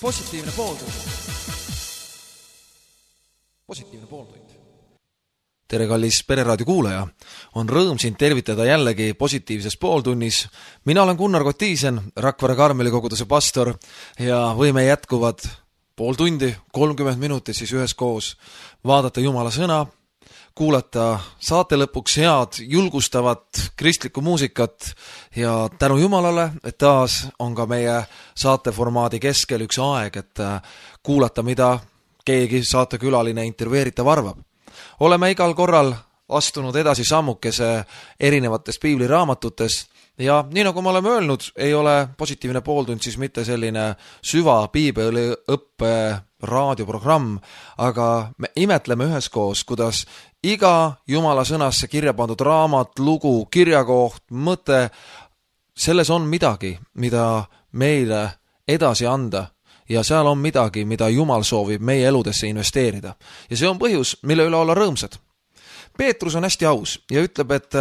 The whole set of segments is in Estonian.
Positiivne pooltund. Positiivne pooltund. Tere, kallis Pereraadio kuulaja. On rõõm sind tervitada jällegi positiivses pooltunnis. Mina olen Gunnar Kotiisen, Rakvere Karmeli koguduse pastor ja võime jätkuvad pool tundi, 30 minutit siis üheskoos vaadata Jumala sõna, kuulata saate lõpuks head, julgustavat kristlikku muusikat ja tänu Jumalale, et taas on ka meie saateformaadi keskel üks aeg, et kuulata, mida keegi saatekülaline intervjueeritav arvab. Oleme igal korral astunud edasi sammukese erinevatest piibliraamatutes ja nii nagu me oleme öelnud, ei ole positiivne pooltund siis mitte selline süva piibeliõppe raadioprogramm, aga me imetleme üheskoos, kuidas iga Jumala sõnasse kirja pandud raamat, lugu, kirjakoht, mõte, selles on midagi, mida meile edasi anda ja seal on midagi, mida Jumal soovib meie eludesse investeerida. Ja see on põhjus, mille üle olla rõõmsad. Peetrus on hästi aus ja ütleb, et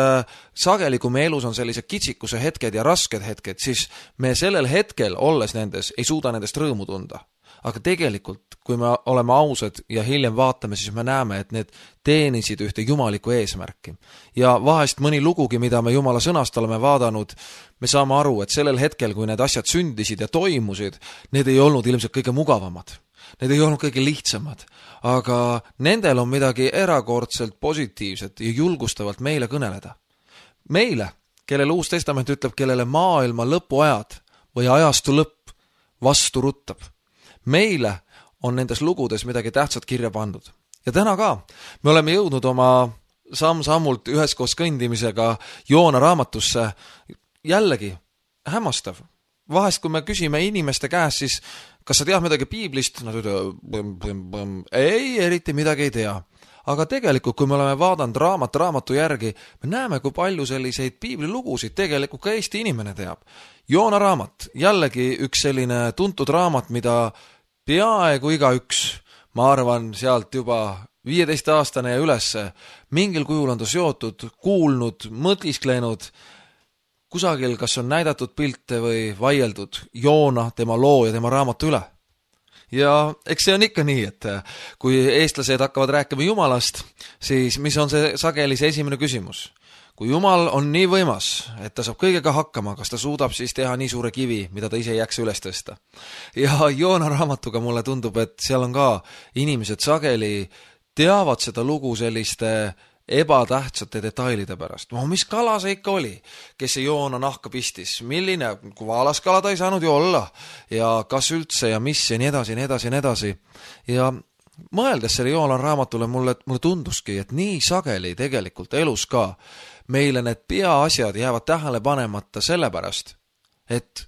sageli, kui me elus on sellise kitsikuse hetked ja rasked hetked, siis me sellel hetkel, olles nendes, ei suuda nendest rõõmu tunda. Aga tegelikult, kui me oleme ausad ja hiljem vaatame, siis me näeme, et need teenisid ühte jumalikku eesmärki. Ja vahest mõni lugugi, mida me Jumala sõnast oleme vaadanud, me saame aru, et sellel hetkel, kui need asjad sündisid ja toimusid, need ei olnud ilmselt kõige mugavamad. Need ei olnud kõige lihtsamad, aga nendel on midagi erakordselt positiivset ja julgustavalt meile kõneleda. Meile, kellele Uus Testament ütleb, kellele maailma lõpuajad või ajastu lõpp vastu ruttab. Meile on nendes lugudes midagi tähtsat kirja pandud. Ja täna ka me oleme jõudnud oma samm-sammult üheskoos kõndimisega Joona raamatusse. Jällegi hämmastav. Vahest, kui me küsime inimeste käest, siis kas sa tead midagi piiblist? Nad ütlevad, ei, eriti midagi ei tea. Aga tegelikult, kui me oleme vaadanud raamatu järgi, me näeme, kui palju selliseid piiblilugusid tegelikult ka Eesti inimene teab. Joona raamat, jällegi üks selline tuntud raamat, mida peaaegu igaüks, ma arvan, sealt juba 15-aastane ja ülesse, mingil kujul on ta seotud, kuulnud, mõtisklenud, kusagil kas on näidatud pilte või vaieldud Joona, tema loo ja tema raamatu üle. Ja eks see on ikka nii, et kui eestlased hakkavad rääkima Jumalast, siis mis on see sageli see esimene küsimus? Kui Jumal on nii võimas, et ta saab kõigega hakkama, kas ta suudab siis teha nii suure kivi, mida ta ise ei jaksa üles tõsta? Ja Joona raamatuga mulle tundub, et seal on ka inimesed sageli teavad seda lugu selliste ebatähtsate detailide pärast. Mis kala see ikka oli, kes see Joona nahka pistis? Milline, kui vaalas kala ta ei saanud ju olla? Ja kas üldse ja mis ja nii edasi, nii edasi, nii edasi. Ja mõeldes selle Joona raamatule mulle tunduski, et nii sageli tegelikult elus ka meile need peaasjad jäävad tähele panemata sellepärast, et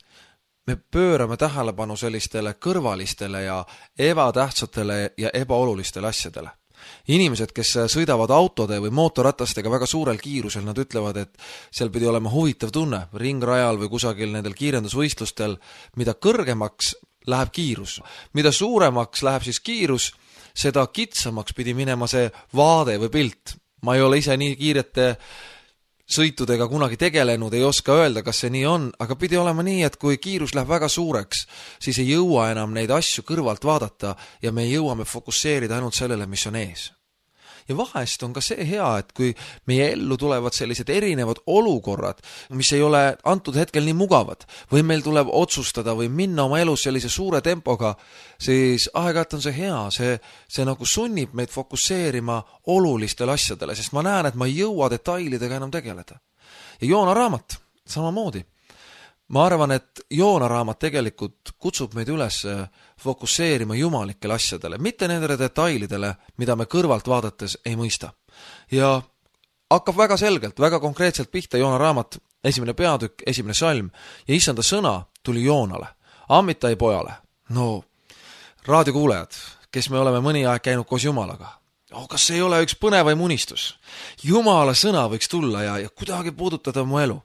me pöörame tähelepanu sellistele kõrvalistele ja ebatähtsatele ja ebaolulistele asjadele. Inimesed, kes sõidavad autode või mootorratastega väga suurel kiirusel, nad ütlevad, et seal pidi olema huvitav tunne ringrajal või kusagil nendel kiirendusvõistlustel, mida kõrgemaks läheb kiirus. Mida suuremaks läheb siis kiirus, seda kitsamaks pidi minema see vaade või pilt. Ma ei ole ise nii kiirete sõitudega kunagi tegelenud, ei oska öelda, kas see nii on, aga pidi olema nii, et kui kiirus läheb väga suureks, siis ei jõua enam neid asju kõrvalt vaadata ja me jõuame fokusseerida ainult sellele, mis on ees. Ja vahest on ka see hea, et kui meie ellu tulevad sellised erinevad olukorrad, mis ei ole antud hetkel nii mugavad, või meil tuleb otsustada või minna oma elus sellise suure tempoga, siis aeg-ajalt on see hea, see nagu sunnib meid fokusseerima olulistele asjadele, sest ma näen, et ma ei jõua detailidega enam tegeleda. Ja Joona raamat, samamoodi. Ma arvan, et Joona raamat tegelikult kutsub meid üles fokusseerima jumalikele asjadele, mitte nendele detailidele, mida me kõrvalt vaadates ei mõista. Ja hakkab väga selgelt, väga konkreetselt pihta Joona raamat, 1. peatükk, 1. salm, ja issanda sõna tuli Joonale, Amittai pojale. No, raadiokuulejad, kes me oleme mõni aeg käinud koos Jumalaga. Kas see ei ole üks põnevaim unistus? Jumala sõna võiks tulla ja kuidagi puudutada mu elu.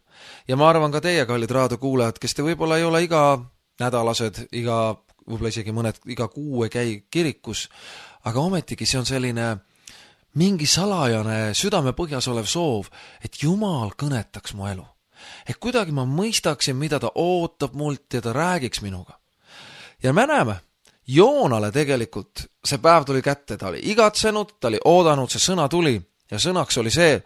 Ja ma arvan ka teie, kallid raadiokuulajad, kes te võib-olla ei ole iga nädalased, võib-olla isegi mõned iga kuu ei käi kirikus, aga ometigi see on selline mingi salajane südamepõhjas olev soov, et Jumal kõnetaks mu elu. Et kuidagi ma mõistaksin, mida ta ootab mult ja ta räägiks minuga. Ja me näeme, Joonale tegelikult see päev tuli kätte, ta oli igatsenud, ta oli oodanud, see sõna tuli ja sõnaks oli see,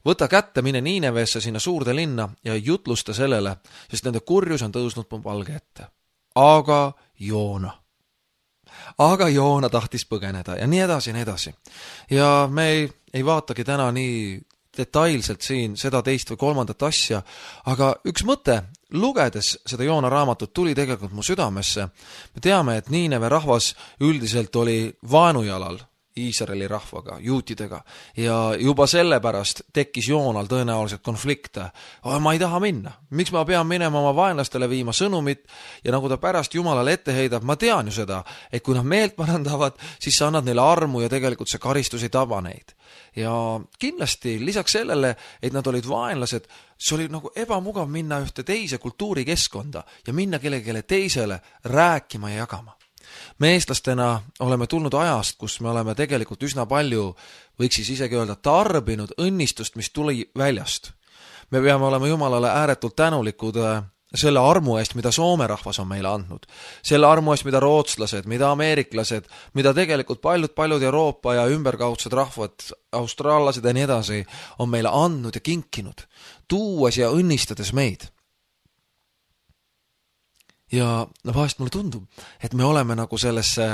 võta kätte, mine Niineveesse sinna suurde linna ja jutlusta sellele, sest nende kurjus on tõusnud mu palge ette. Aga Joona tahtis põgeneda ja nii edasi. Ja me ei vaatagi täna nii detailselt siin seda teist või kolmandat asja, aga üks mõte, lugedes seda Joona raamatut, tuli tegelikult mu südamesse. Me teame, et Niineve rahvas üldiselt oli vaenujalal Iisraeli rahvaga, juutidega, ja juba sellepärast tekkis Joonal tõenäoliselt konflikte. Ma ei taha minna. Miks ma pean minema oma vaenlastele viima sõnumit ja nagu ta pärast Jumalale ette heidab, ma tean ju seda, et kui nad meelt parandavad, siis sa annad neile armu ja tegelikult see karistus ei taba neid. Ja kindlasti lisaks sellele, et nad olid vaenlased, see oli nagu ebamugav minna ühte teise kultuurikeskkonda ja minna kellelegi teisele rääkima ja jagama. Me eestlastena oleme tulnud ajast, kus me oleme tegelikult üsna palju, võiks siis isegi öelda, tarbinud õnnistust, mis tuli väljast. Me peame olema Jumalale ääretult tänulikud selle armu eest, mida Soome rahvas on meile andnud. Selle armu eest, mida rootslased, mida ameeriklased, mida tegelikult paljud Euroopa ja ümberkaudsed rahvad, austraallased ja nii edasi, on meile andnud ja kinkinud, tuues ja õnnistades meid. Ja vahest mulle tundub, et me oleme nagu sellesse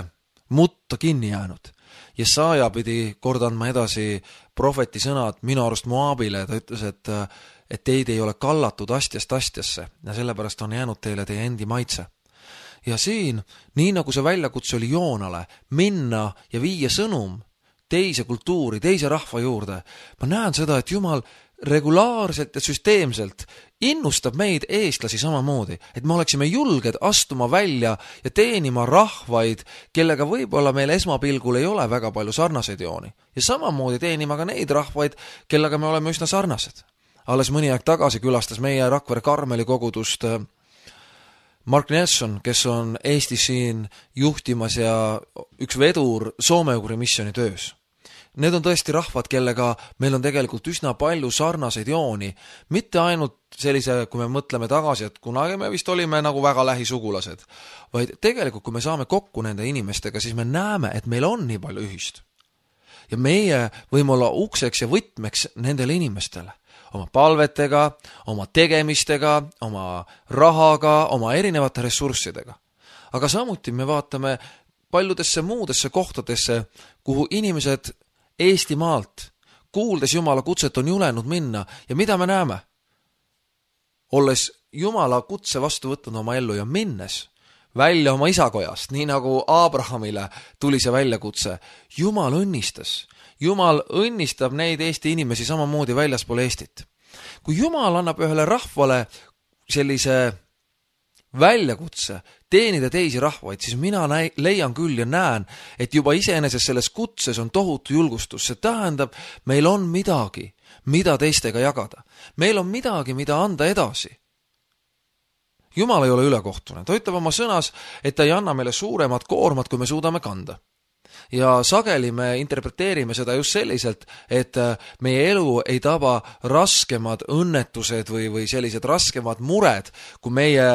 mutta kinni jäänud. Jesaja pidi kord andma edasi prohveti sõnad minu arust Moabile, ta ütles, et teid ei ole kallatud astjast astjasse ja sellepärast on jäänud teile teie endi maitse. Ja siin, nii nagu see väljakutse oli Joonale, minna ja viia sõnum teise kultuuri, teise rahva juurde, ma näen seda, et Jumal regulaarselt ja süsteemselt innustab meid eestlasi samamoodi, et me oleksime julged astuma välja ja teenima rahvaid, kellega võib-olla meil esmapilgul ei ole väga palju sarnaseid jooni. Ja samamoodi teenima ka neid rahvaid, kellega me oleme üsna sarnased. Alles mõni aeg tagasi külastas meie Rakvere Karmeli kogudust Mark Nelson, kes on Eestis siin juhtimas ja üks vedur Soome-Ugri missiooni töös. Need on tõesti rahvad, kellega meil on tegelikult üsna palju sarnaseid jooni, mitte ainult sellise, kui me mõtleme tagasi, et kunagi me vist olime nagu väga lähisugulased, vaid tegelikult, kui me saame kokku nende inimestega, siis me näeme, et meil on nii palju ühist. Ja meie võime olla ukseks ja võtmeks nendele inimestele, oma palvetega, oma tegemistega, oma rahaga, oma erinevate ressurssidega. Aga samuti me vaatame paljudesse muudesse kohtadesse, kuhu inimesed Eestimaalt, kuuldes Jumala kutset, on julenud minna ja mida me näeme? Olles Jumala kutse vastu võtnud oma ellu ja minnes välja oma isakojast, nii nagu Abrahamile tuli see väljakutse, Jumal õnnistas. Jumal õnnistab neid Eesti inimesi samamoodi väljaspool Eestit. Kui Jumal annab ühele rahvale sellise väljakutse teenida teisi rahvaid, siis mina leian küll ja näen, et juba iseenesest selles kutses on tohutu julgustus. See tähendab, meil on midagi, mida teistega jagada. Meil on midagi, mida anda edasi. Jumal ei ole ülekohtune. Ta ütleb oma sõnas, et ta ei anna meile suuremat koormat, kui me suudame kanda. Ja sageli me interpreteerime seda just selliselt, et meie elu ei taba raskemad õnnetused või sellised raskemad mured, kui meie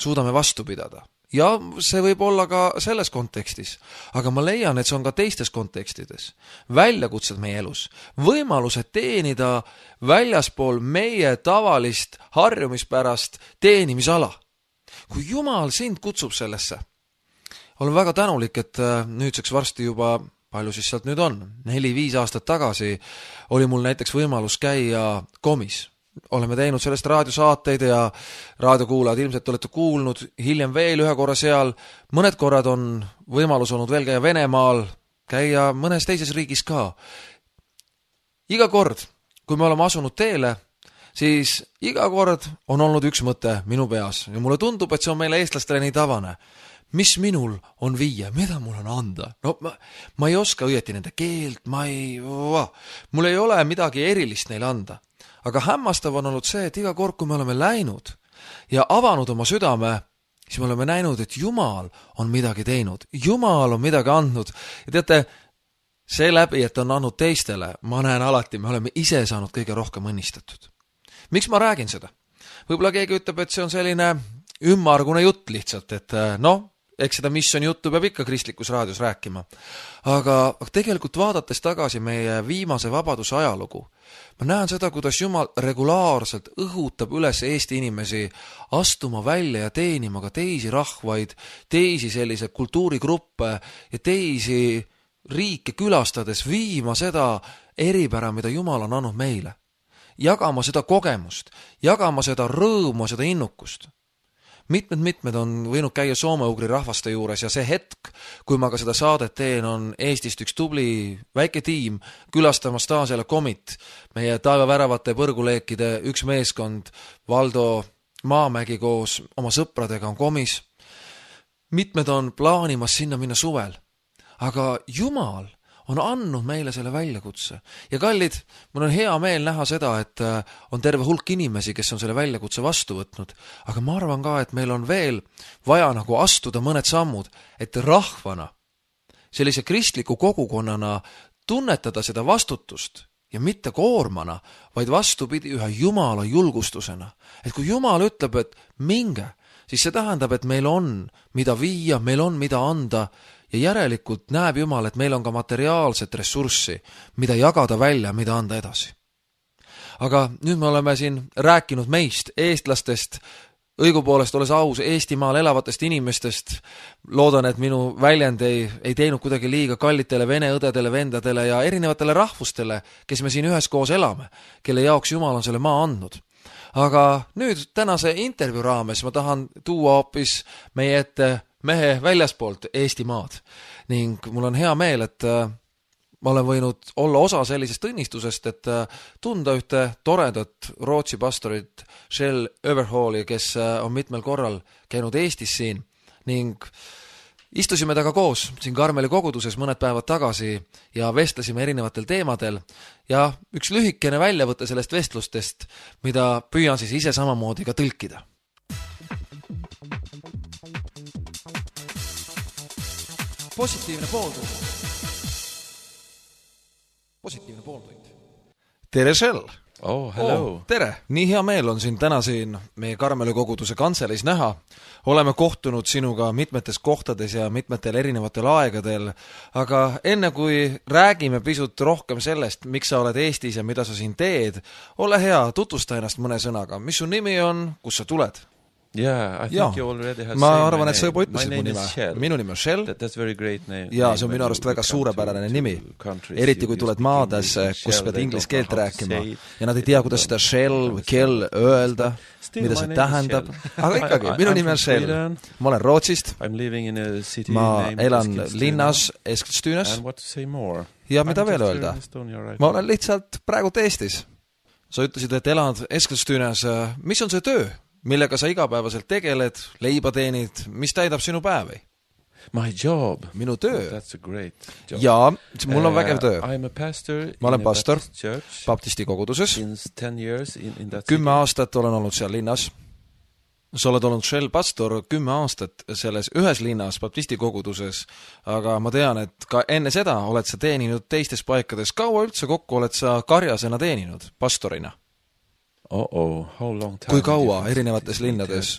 suudame vastu pidada. Ja see võib olla ka selles kontekstis, aga ma leian, et see on ka teistes kontekstides. Väljakutsed meie elus, võimalused teenida väljaspool meie tavalist harjumispärast teenimisala. Kui Jumal sind kutsub sellesse, olen väga tänulik, et nüüdseks varsti juba, palju siis sealt nüüd on, 4-5 aastat tagasi oli mul näiteks võimalus käia Komis. Oleme teinud sellest raadiosaateid ja raadiokuulajad ilmselt olete kuulnud, hiljem veel ühe korra seal, mõned korrad on võimalus olnud veel käia Venemaal, käia mõnes teises riigis ka. Iga kord, kui me oleme asunud teele, siis iga kord on olnud üks mõte minu peas ja mulle tundub, et see on meile eestlastele nii tavane. Mis minul on viia, mida mul on anda? No, ma ei oska õieti nende keelt, mul ei ole midagi erilist neile anda. Aga hämmastav on olnud see, et iga kord, kui me oleme läinud ja avanud oma südame, siis me oleme näinud, et Jumal on midagi teinud. Jumal on midagi andnud. Ja teate, see läbi, et on andnud teistele, ma näen alati, me oleme ise saanud kõige rohkem õnnistatud. Miks ma räägin seda? Võib-olla keegi ütleb, et see on selline ümmargune jutt lihtsalt, et eks seda missiooni juttu peab ikka kristlikus raadios rääkima. Aga tegelikult vaadates tagasi meie viimase vabaduse ajalugu, ma näen seda, kuidas Jumal regulaarselt õhutab üles Eesti inimesi astuma välja ja teenima ka teisi rahvaid, teisi sellise kultuurigruppe ja teisi riike külastades viima seda eripära, mida Jumal on andnud meile. Jagama seda kogemust, jagama seda rõõmu, seda innukust. Mitmed on võinud käia soome-ugri rahvaste juures ja see hetk, kui ma ka seda saadet teen, on Eestist üks tubli väike tiim külastamas taas jälle Komit, meie taevaväravate põrguleekide üks meeskond, Valdo Maamägi koos oma sõpradega on Komis. Mitmed on plaanimas sinna minna suvel, aga Jumal on andnud meile selle väljakutse. Ja kallid, mul on hea meel näha seda, et on terve hulk inimesi, kes on selle väljakutse vastu võtnud. Aga ma arvan ka, et meil on veel vaja nagu astuda mõned sammud, et rahvana, sellise kristliku kogukonnana tunnetada seda vastutust ja mitte koormana, vaid vastupidi ühe Jumala julgustusena. Et kui Jumal ütleb, et minge, siis see tähendab, et meil on mida viia, meil on mida anda, ja järelikult näeb Jumal, et meil on ka materiaalset ressurssi, mida jagada välja, mida anda edasi. Aga nüüd me oleme siin rääkinud meist, eestlastest, õigupoolest olles aus Eestimaal elavatest inimestest. Loodan, et minu väljend ei teinud kuidagi liiga kallitele vene õdedele, vendadele ja erinevatele rahvustele, kes me siin üheskoos elame, kelle jaoks Jumal on selle maa andnud. Aga nüüd tänase intervjuu raames ma tahan tuua hoopis meie ette mehe väljaspoolt Eesti maad ning mul on hea meel, et ma olen võinud olla osa sellisest õnnistusest, et tunda ühte toredat Rootsi pastorit Kjell Överhalli, kes on mitmel korral käinud Eestis siin ning istusime taga koos siin Karmeli koguduses mõned päevad tagasi ja vestlesime erinevatel teemadel ja üks lühikene väljavõte sellest vestlustest, mida püüan siis ise samamoodi ka tõlkida. Positiivne pooltund. Tere, Kjell! Oh, hello! Tere! Nii hea meel on siin täna siin meie Karmeli koguduse kantseleis näha. Oleme kohtunud sinuga mitmetes kohtades ja mitmetel erinevatel aegadel, aga enne kui räägime pisut rohkem sellest, miks sa oled Eestis ja mida sa siin teed, ole hea, tutvusta ennast mõne sõnaga. Mis su nimi on, kus sa tuled? Yeah, I think you already have ma said arvan, my et sa juba name. ütlesid mu nime. Minu nimi on Kjell. That's very great name. Ja see on minu arust väga suurepärane nimi. Eriti kui tuled maadesse, kus pead inglise keelt rääkima ja nad ei tea, kuidas seda Kjell või Kjell öelda, mida see tähendab. Aga ikkagi, minu nimi on Kjell. Ma olen Rootsist. Ma elan linnas Eskilstunes. Ja mida veel öelda? Ma olen lihtsalt praegu Eestis. Sa ütlesid, et elad Eskilstunes. Mis on see töö? Millega sa igapäevaselt tegeled, leiba teenid, mis täidab sinu päevi? My job. Minu töö. That's a great job. Ja, mul on vägev töö. I'm a pastor ma olen pastor church, baptisti koguduses. 10 years in that 10 aastat olen olnud seal linnas. Sa oled olnud Kjell pastor 10 aastat selles ühes linnas baptisti koguduses, aga ma tean, et ka enne seda oled sa teeninud teistes paikades. Kaua üldse kokku oled sa karjasena teeninud pastorina? Kui kaua erinevates linnades?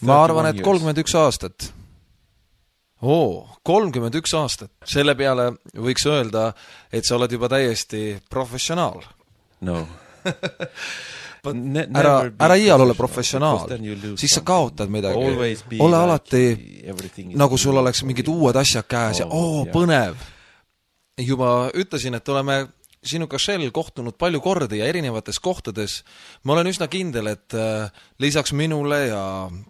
Ma arvan, et 31 aastat. 31 aastat. Selle peale võiks öelda, et sa oled juba täiesti professionaal. No. Ära iial ole professionaal, siis sa kaotad midagi. Ole alati, nagu sul oleks mingid uued asjad käes ja põnev. Juba ütlesin, et oleme sinuga Kjell kohtunud palju kordi ja erinevates kohtades. Ma olen üsna kindel, et lisaks minule ja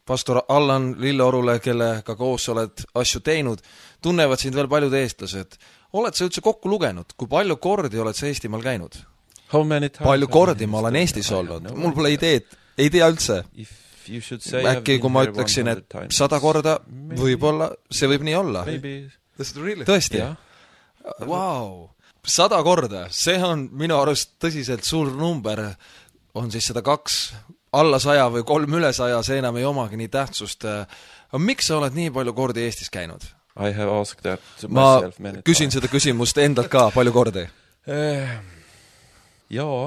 pastor Allan Lilleorule, kellega koos oled asju teinud, tunnevad sind veel paljud eestlased. Oled sa üldse kokku lugenud? Kui palju kordi oled sa Eestimaal käinud? Palju kordi ma olen Eestis olnud? Mul pole ideed, ei tea üldse. Äkki kui ma ütleksin, et 100 korda, võib-olla, see võib nii olla. Tõesti? Wow! 100 korda, see on minu arust tõsiselt suur number, on siis 102, alla 100 või 3 üle 100, see enam ei omagi nii tähtsust. Miks sa oled nii palju kordi Eestis käinud? Ma küsin seda küsimust endalt ka palju kordi. Jaa,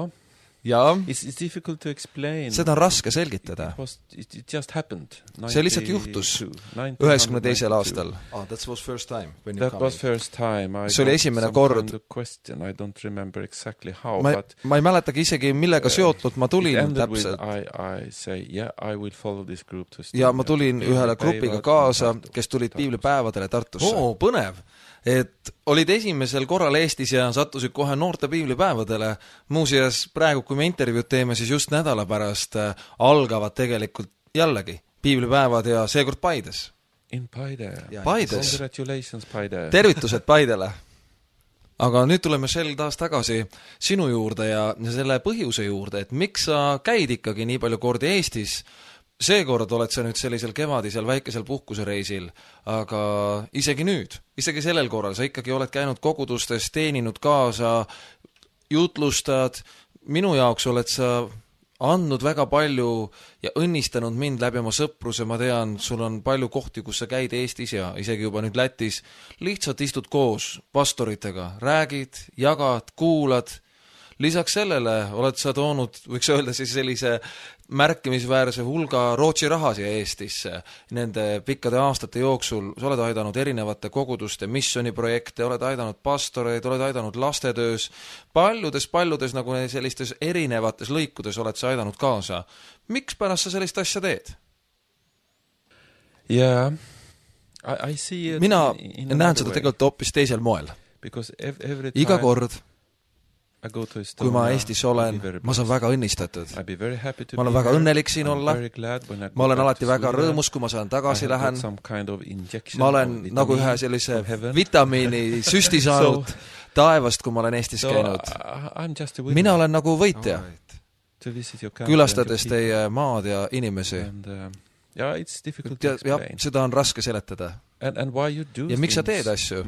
ja It's difficult to explain. seda on raske selgitada. It just happened. See lihtsalt juhtus 92. aastal. That was first time when you That come was in. first time. See oli esimene kord. Question. I don't remember exactly how, ma ei mäletagi isegi, millega seotult ma tulin täpselt. I say, yeah, I will follow this group to ja ma tulin ühele grupiga kaasa, kes tulid piiblipäevadele Tartusse. Põnev! Et olid esimesel korral Eestis ja sattusid kohe noorte piiblipäevadele. Muuseas, praegu kui me intervjuud teeme, siis just nädala pärast algavad tegelikult jällegi piiblipäevad ja seekord Paides. In Paide. Paides. Congratulations, Paide. Tervitused Paidele. Aga nüüd tuleme sel taas tagasi sinu juurde ja selle põhjuse juurde, et miks sa käid ikkagi nii palju kordi Eestis. Seekord oled sa nüüd sellisel kevadisel väikesel puhkusereisil, aga isegi nüüd, isegi sellel korral sa ikkagi oled käinud kogudustes, teeninud kaasa, jutlustad, minu jaoks oled sa andnud väga palju ja õnnistanud mind läbi oma sõpruse, ma tean, sul on palju kohti, kus sa käid Eestis ja isegi juba nüüd Lätis, lihtsalt istud koos pastoritega, räägid, jagad, kuulad. Lisaks sellele oled sa toonud, võiks öelda siis sellise märkimisväärse hulga Rootsi raha siia Eestisse. Nende pikkade aastate jooksul sa oled aidanud erinevate koguduste missioniprojekte, oled aidanud pastoreid, oled aidanud lastetöös. Paljudes nagu sellistes erinevates lõikudes oled sa aidanud kaasa. Miks pärast sa sellist asja teed? Yeah, I see it. Mina näen seda tegelikult hoopis teisel moel. Iga kord kui ma Eestis olen, ma saan väga õnnistatud. Ma olen väga õnnelik siin olla. Ma olen alati väga rõõmus, kui ma saan tagasi lähen. Ma olen nagu ühe sellise vitamiini süsti saanud taevast, kui ma olen Eestis käinud. Mina olen nagu võitja, külastades teie maad ja inimesi. Ja seda on raske seletada. Ja miks sa teed asju?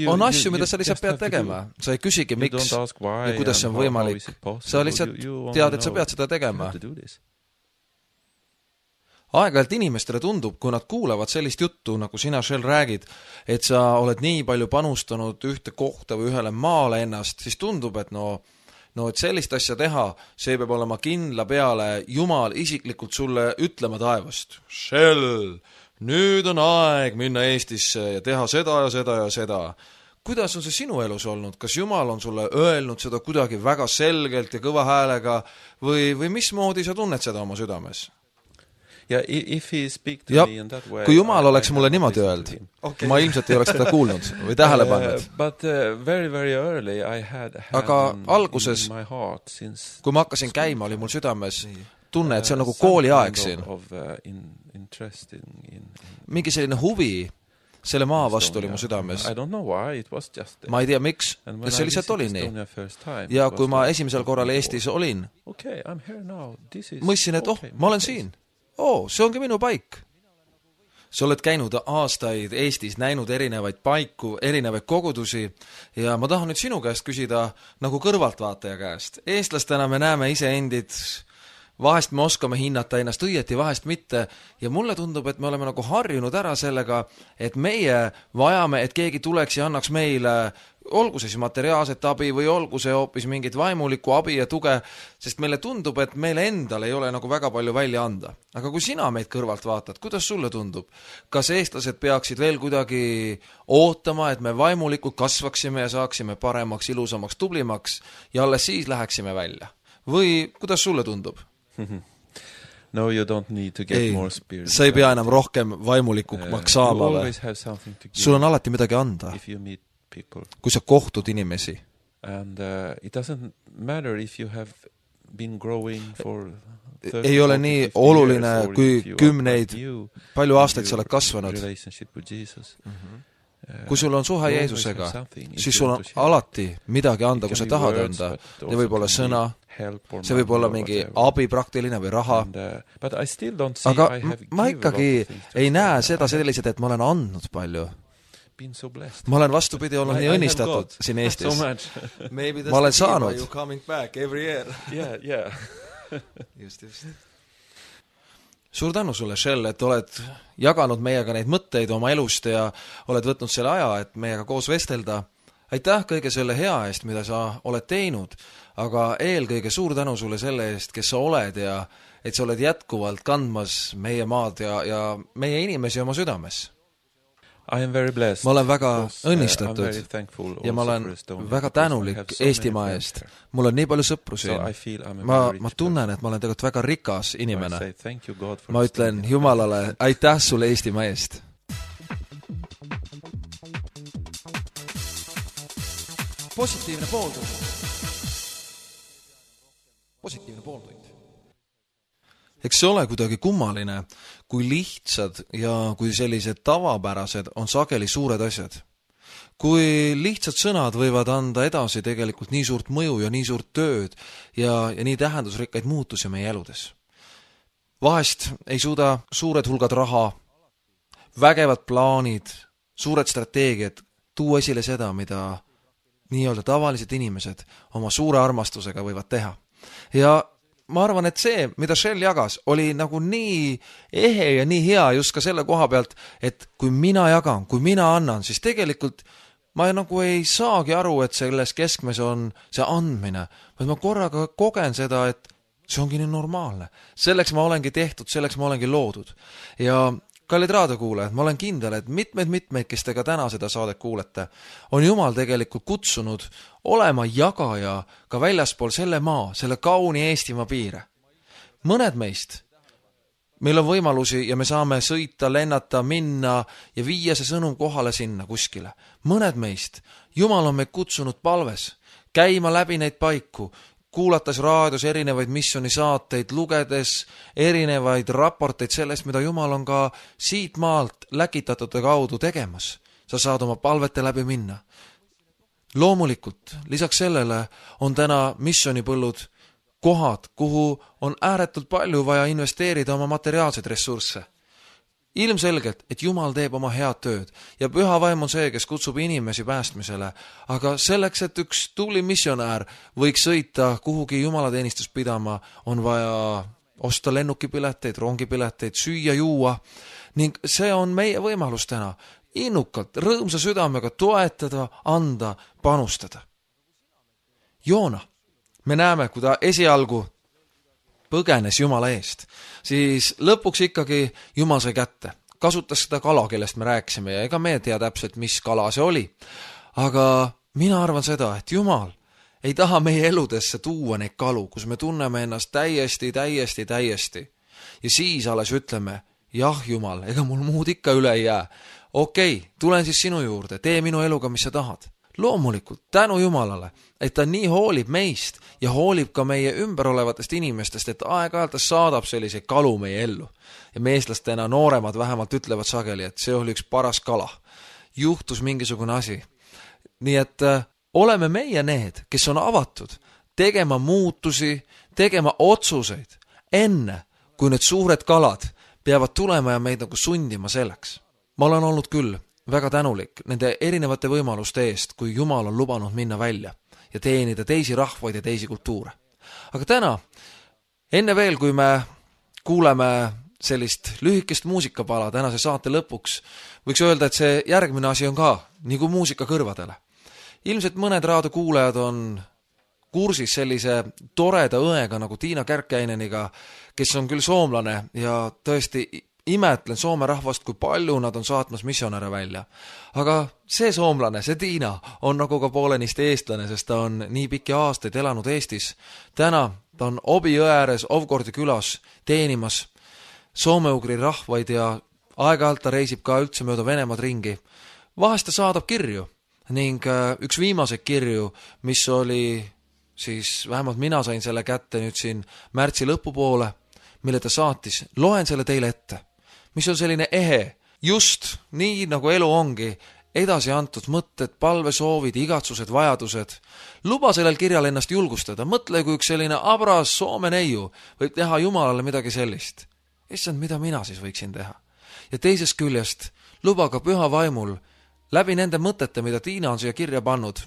On asju, mida sa lihtsalt pead tegema. Sa ei küsigi, miks ja kuidas see on võimalik. Sa lihtsalt tead, et sa pead seda tegema. Aeg-ajalt inimestele tundub, kui nad kuulavad sellist juttu, nagu sina Shell räägid, et sa oled nii palju panustanud ühte kohta või ühele maale ennast, siis tundub, et et sellist asja teha, see peab olema kindla peale Jumal isiklikult sulle ütlema taevast. Shell! Nüüd on aeg minna Eestisse ja teha seda ja seda ja seda. Kuidas on see sinu elus olnud? Kas Jumal on sulle öelnud seda kuidagi väga selgelt ja kõva häälega või mismoodi sa tunned seda oma südames? Ja, kui Jumal oleks mulle niimoodi öelnud, ma ilmselt ei oleks seda kuulnud või tähele pannud. Aga alguses, kui ma hakkasin käima, oli mul südames tunne, et see on nagu kooliaeg siin. Mingi selline huvi selle maa vastu oli mu südames. Ma ei tea, miks, ja see lihtsalt oli nii. Ja kui ma esimesel korral Eestis olin, mõistsin, et ma olen siin. See ongi minu paik. Sa oled käinud aastaid Eestis, näinud erinevaid paiku, erinevaid kogudusi ja ma tahan nüüd sinu käest küsida nagu kõrvaltvaataja käest. Eestlastena me näeme iseendid, vahest me oskame hinnata ennast õieti, vahest mitte ja mulle tundub, et me oleme nagu harjunud ära sellega, et meie vajame, et keegi tuleks ja annaks meile, olgu see siis materiaalset abi või olgu see hoopis mingit vaimulikku abi ja tuge, sest meile tundub, et meile endal ei ole nagu väga palju välja anda. Aga kui sina meid kõrvalt vaatad, kuidas sulle tundub? Kas eestlased peaksid veel kuidagi ootama, et me vaimulikult kasvaksime ja saaksime paremaks, ilusamaks, tublimaks ja alles siis läheksime välja? Või kuidas sulle tundub? No, you don't need to get more spiritual. Sa ei pea enam rohkem vaimulikumaks saama. Sul on alati midagi anda, kui sa kohtud inimesi. And it doesn't matter if you have been growing for 30, ei ole nii oluline, kui kümneid, palju aastaid sa oled kasvanud. Kui sul on suhe Jeesusega, siis sul on alati midagi anda, kui sa tahad anda. See võib olla sõna, see võib olla mingi abi praktiline või raha. Aga ma ikkagi ei näe seda sellised, et ma olen andnud palju. Ma olen vastupidi olnud nii õnnistatud siin Eestis. Ma olen saanud. Just. Suur tänu sulle, Shell, et oled jaganud meiega neid mõtteid oma elust ja oled võtnud selle aja, et meiega koos vestelda. aitäh kõige selle hea eest, mida sa oled teinud, aga eelkõige suur tänu sulle selle eest, kes sa oled ja et sa oled jätkuvalt kandmas meie maad ja meie inimesi oma südames. I am very blessed. Ma olen väga because, õnnistatud I'm very thankful ja ma also olen for Estonia väga because I tänulik have so Eestimaa many eest. friends Mul on nii palju sõpru here. So I siin. feel I'm a Ma very rich tunnen, et ma olen tegelikult väga rikas person. inimene. I say thank you God for Ma ütlen Estonia. Jumalale aitäh sulle Eestimaa eest. Positiivne pooltund. Positiivne pooltund. Eks see ole kuidagi kummaline, kui lihtsad ja kui sellised tavapärased on sageli suured asjad. Kui lihtsad sõnad võivad anda edasi tegelikult nii suurt mõju ja nii suurt tööd ja nii tähendusrikkaid muutusi meie eludes. Vahest ei suuda suured hulgad raha, vägevad plaanid, suured strateegiad tuua esile seda, mida nii-öelda tavalised inimesed oma suure armastusega võivad teha. Ja ma arvan, et see, mida Shell jagas, oli nagu nii ehe ja nii hea just ka selle koha pealt, et kui mina jagan, kui mina annan, siis tegelikult ma nagu ei saagi aru, et selles keskmes on see andmine, vaid ma korraga kogen seda, et see ongi nii normaalne. Selleks ma olengi tehtud, selleks ma olengi loodud. Ja kallid raadiokuulajad, ma olen kindel, et mitmeid, kes te ka täna seda saadet kuulete, on Jumal tegelikult kutsunud olema jagaja ka väljaspool selle maa, selle kauni Eestimaa piire. Mõned meist, meil on võimalusi ja me saame sõita, lennata, minna ja viia see sõnum kohale sinna kuskile. Mõned meist, Jumal on meid kutsunud palves, käima läbi neid paiku, kuulates raadios erinevaid missioonisaateid, lugedes erinevaid raporteid sellest, mida Jumal on ka siit maalt läkitatute kaudu tegemas. Sa saad oma palvete läbi minna. Loomulikult, lisaks sellele on täna missioonipõllud kohad, kuhu on ääretult palju vaja investeerida oma materiaalseid ressursse. Ilmselgelt, et Jumal teeb oma head tööd ja püha vaim on see, kes kutsub inimesi päästmisele, aga selleks, et üks tubli missionäär võiks sõita kuhugi jumalateenistust pidama, on vaja osta lennukipileteid, rongipileteid, süüa, juua ning see on meie võimalus täna innukalt, rõõmsa südamega toetada, anda, panustada. Joona, me näeme, kui ta esialgu põgenes Jumala eest, siis lõpuks ikkagi Jumal sai kätte. Kasutas seda kala, kellest me rääkisime ja ega me ei tea täpselt, mis kala see oli. Aga mina arvan seda, et Jumal ei taha meie eludesse tuua neid kalu, kus me tunneme ennast täiesti. Ja siis alles ütleme, jah Jumal, ega mul muud ikka üle ei jää. Okei, tulen siis sinu juurde, tee minu eluga, mis sa tahad. Loomulikult, tänu Jumalale, et ta nii hoolib meist ja hoolib ka meie ümber olevatest inimestest, et aeg-ajalt ta saadab selliseid kalu meie ellu. Ja me eestlastena nooremad vähemalt ütlevad sageli, et see oli üks paras kala. Juhtus mingisugune asi. Nii et oleme meie need, kes on avatud tegema muutusi, tegema otsuseid enne, kui need suured kalad peavad tulema ja meid nagu sundima selleks. Ma olen olnud küll väga tänulik nende erinevate võimaluste eest, kui Jumal on lubanud minna välja ja teenida teisi rahvaid ja teisi kultuure. Aga täna, enne veel, kui me kuuleme sellist lühikest muusikapala tänase saate lõpuks, võiks öelda, et see järgmine asi on ka nagu muusika kõrvadele. Ilmselt mõned raadiokuulajad on kursis sellise toreda õega nagu Tiina Kärkkäineniga, kes on küll soomlane ja tõesti imetlen Soome rahvast, kui palju nad on saatmas missionäre välja. Aga see soomlane, see Tiina, on nagu ka poolenisti eestlane, sest ta on nii pikki aastaid elanud Eestis. Täna ta on Obi jõe ääres Ovgordi külas teenimas soome-ugri rahvaid ja aeg-ajalt ta reisib ka üldse mööda Venemaad ringi. Vahest ta saadab kirju ning üks viimaseid kirju, mis oli siis, vähemalt mina sain selle kätte nüüd siin märtsi lõpupoole, mille ta saatis, loen selle teile ette, mis on selline ehe, just nii nagu elu ongi, edasi antud mõtted, palvesoovid, igatsused, vajadused. Luba sellel kirjal ennast julgustada, mõtle, kui üks selline abras Soome neiu võib teha Jumalale midagi sellist. Issand, mida mina siis võiksin teha? Ja teisest küljest, luba ka püha vaimul läbi nende mõtete, mida Tiina on siia kirja pannud,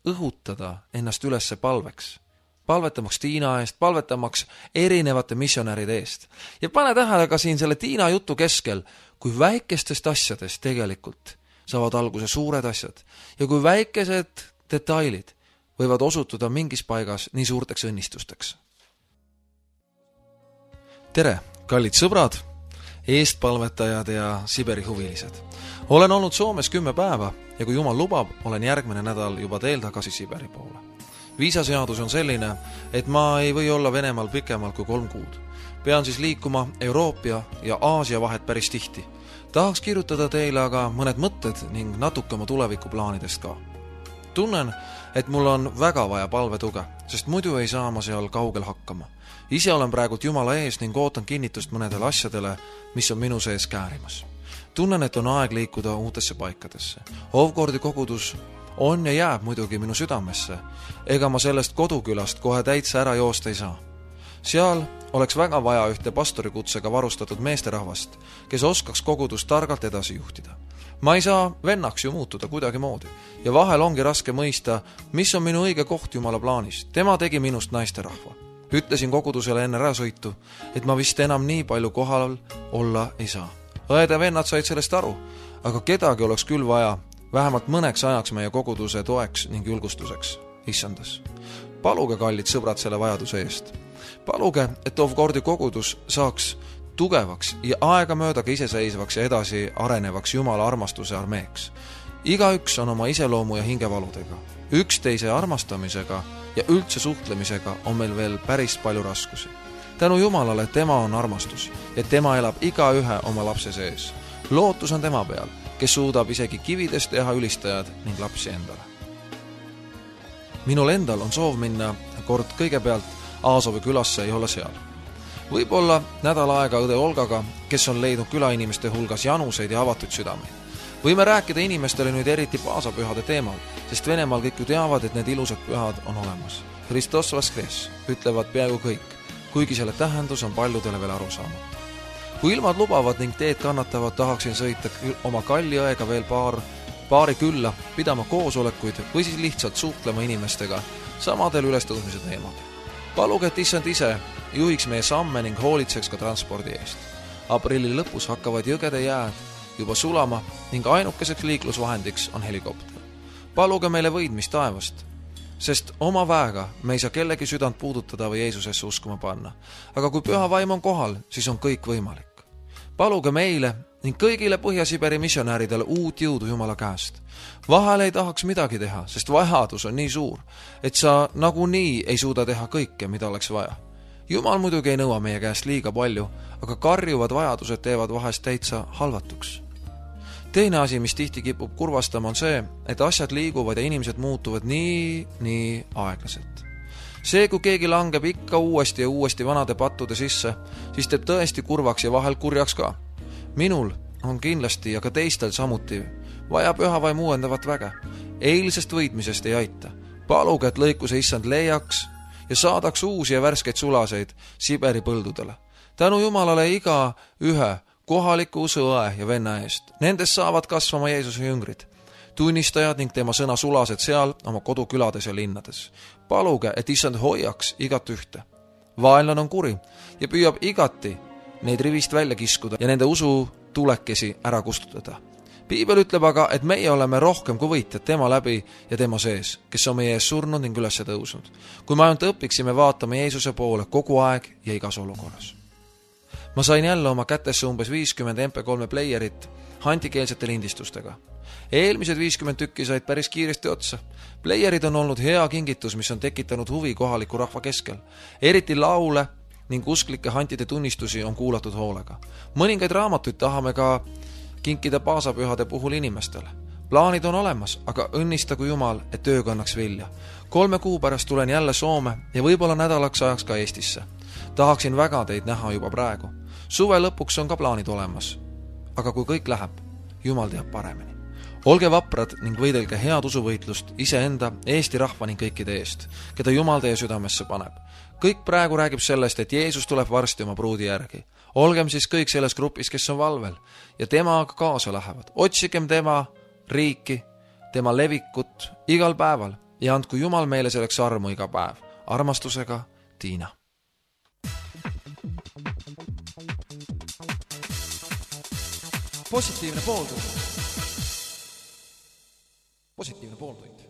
õhutada ennast ülesse palveks. Palvetamaks Tiina eest, palvetamaks erinevate missionäride eest. Ja pane tähele ka siin selle Tiina jutu keskel, kui väikestest asjadest tegelikult saavad alguse suured asjad ja kui väikesed detailid võivad osutuda mingis paigas nii suurteks õnnistusteks. Tere, kallid sõbrad, eestpalvetajad ja Siberi huvilised. Olen olnud Soomes 10 päeva ja kui Jumal lubab, olen järgmine nädal juba teel tagasi Siberi poole. Viisaseadus on selline, et ma ei või olla Venemaal pikemalt kui 3 kuud. Pean siis liikuma Euroopa ja Aasia vahet päris tihti. Tahaks kirjutada teile aga mõned mõtted ning natuke oma tulevikuplaanidest ka. Tunnen, et mul on väga vaja palvetuge, sest muidu ei saa ma seal kaugel hakkama. Ise olen praegult Jumala ees ning ootan kinnitust mõnedele asjadele, mis on minu sees käärimas. Tunnen, et on aeg liikuda uutesse paikadesse. Ovgordi kogudus on ja jääb muidugi minu südamesse, ega ma sellest kodukülast kohe täitsa ära joosta ei saa. Seal oleks väga vaja ühte pastorikutsega varustatud meesterahvast, kes oskaks kogudust targalt edasi juhtida. Ma ei saa vennaks ju muutuda kuidagi moodi ja vahel ongi raske mõista, mis on minu õige koht Jumala plaanis. Tema tegi minust naisterahva. Ütlesin kogudusele enne äärasõitu, et ma vist enam nii palju kohal olla ei saa. Õed ja vennad said sellest aru, aga kedagi oleks küll vaja vähemalt mõneks ajaks meie koguduse toeks ning julgustuseks. Issandas. Paluge, kallid sõbrad, selle vajaduse eest. Paluge, et Ovgordi kogudus saaks tugevaks ja aegamöödaga iseseisvaks ja edasi arenevaks Jumala armastuse armeeks. Igaüks on oma iseloomu ja hingevaludega. Üksteise armastamisega ja üldse suhtlemisega on meil veel päris palju raskusi. Tänu Jumalale tema on armastus ja tema elab igaühe oma lapse sees. Lootus on tema peal, kes suudab isegi kividest teha ülistajad ning lapsi endale. Minul endal on soov minna kord kõigepealt Aasovi külasse ja olla seal. Võib-olla nädal aega õde Olgaga, kes on leidnud külainimeste hulgas januseid ja avatud südameid. Võime rääkida inimestele nüüd eriti paasapühade teemal, sest Venemaal kõik ju teavad, et need ilusad pühad on olemas. Hristos Voskres ütlevad peaaegu kõik, kuigi selle tähendus on paljudele veel aru saamata. Kui ilmad lubavad ning teed kannatavad, tahaksin sõita oma kalli õega veel paari külla, pidama koosolekuid või siis lihtsalt suhtlema inimestega samadel ülestõusmise teemadel. Paluge, et issand ise juhiks meie samme ning hoolitseks ka transpordi eest. Aprilli lõpus hakkavad jõgede jääd juba sulama ning ainukeseks liiklusvahendiks on helikopter. Paluge meile võidmist taevast, sest oma väega me ei saa kellegi südant puudutada või Jeesusesse uskuma panna. Aga kui püha vaim on kohal, siis on kõik võimalik. Paluge meile ning kõigile Põhja-Siberi missionääridele uut jõudu Jumala käest. Vahel ei tahaks midagi teha, sest vajadus on nii suur, et sa nagunii ei suuda teha kõike, mida oleks vaja. Jumal muidugi ei nõua meie käest liiga palju, aga karjuvad vajadused teevad vahest täitsa halvatuks. Teine asi, mis tihti kipub kurvastama, on see, et asjad liiguvad ja inimesed muutuvad nii aeglaselt. See, kui keegi langeb ikka uuesti ja uuesti vanade pattude sisse, siis teeb tõesti kurvaks ja vahel kurjaks ka. Minul on kindlasti ja ka teistel samuti vaja pühavaim uuendavat väge. Eilsest võitmisest ei aita. Paluge, et lõikuse issand leiaks ja saadaks uusi ja värskeid sulaseid Siberi põldudele. Tänu Jumalale iga ühe kohaliku usuõe ja venna eest. Nendest saavad kasvama Jeesuse jüngrid, tunnistajad ning tema sõna sulased seal oma kodukülades ja linnades. Paluge, et issand hoiaks igat ühte. Vaenlane on kuri ja püüab igati neid rivist välja kiskuda ja nende usu tulekesi ära kustutada. Piibel ütleb aga, et meie oleme rohkem kui võitjad tema läbi ja tema sees, kes on meie ees surnud ning üles tõusnud. Kui me ainult õpiksime vaatama Jeesuse poole kogu aeg ja igas olukorras. Ma sain jälle oma kätesse umbes 50 MP3 playerit handikeelsete lindistustega. Eelmised 50 tükki said päris kiiresti otsa. Playerid on olnud hea kingitus, mis on tekitanud huvi kohaliku rahva keskel. Eriti laule ning usklike hantide tunnistusi on kuulatud hoolega. Mõningaid raamatuid tahame ka kinkida paasapühade puhul inimestele. Plaanid on olemas, aga õnnistagu Jumal, et töö kannaks vilja. 3 kuu pärast tulen jälle Soome ja võib-olla nädalaks ajaks ka Eestisse. Tahaksin väga teid näha juba praegu. Suve lõpuks on ka plaanid olemas. Aga kui kõik läheb, Jumal teab paremini. Olge vaprad ning võidelge head usuvõitlust iseenda, Eesti rahva ning kõikide eest, keda Jumal teie südamesse paneb. Kõik praegu räägib sellest, et Jeesus tuleb varsti oma pruudi järgi. Olgem siis kõik selles grupis, kes on valvel ja temaga kaasa lähevad. Otsigem tema riiki, tema levikut igal päeval ja andku Jumal meile selleks armu iga päev. Armastusega, Tiina. Positiivne pooltund. positiivne pooltund.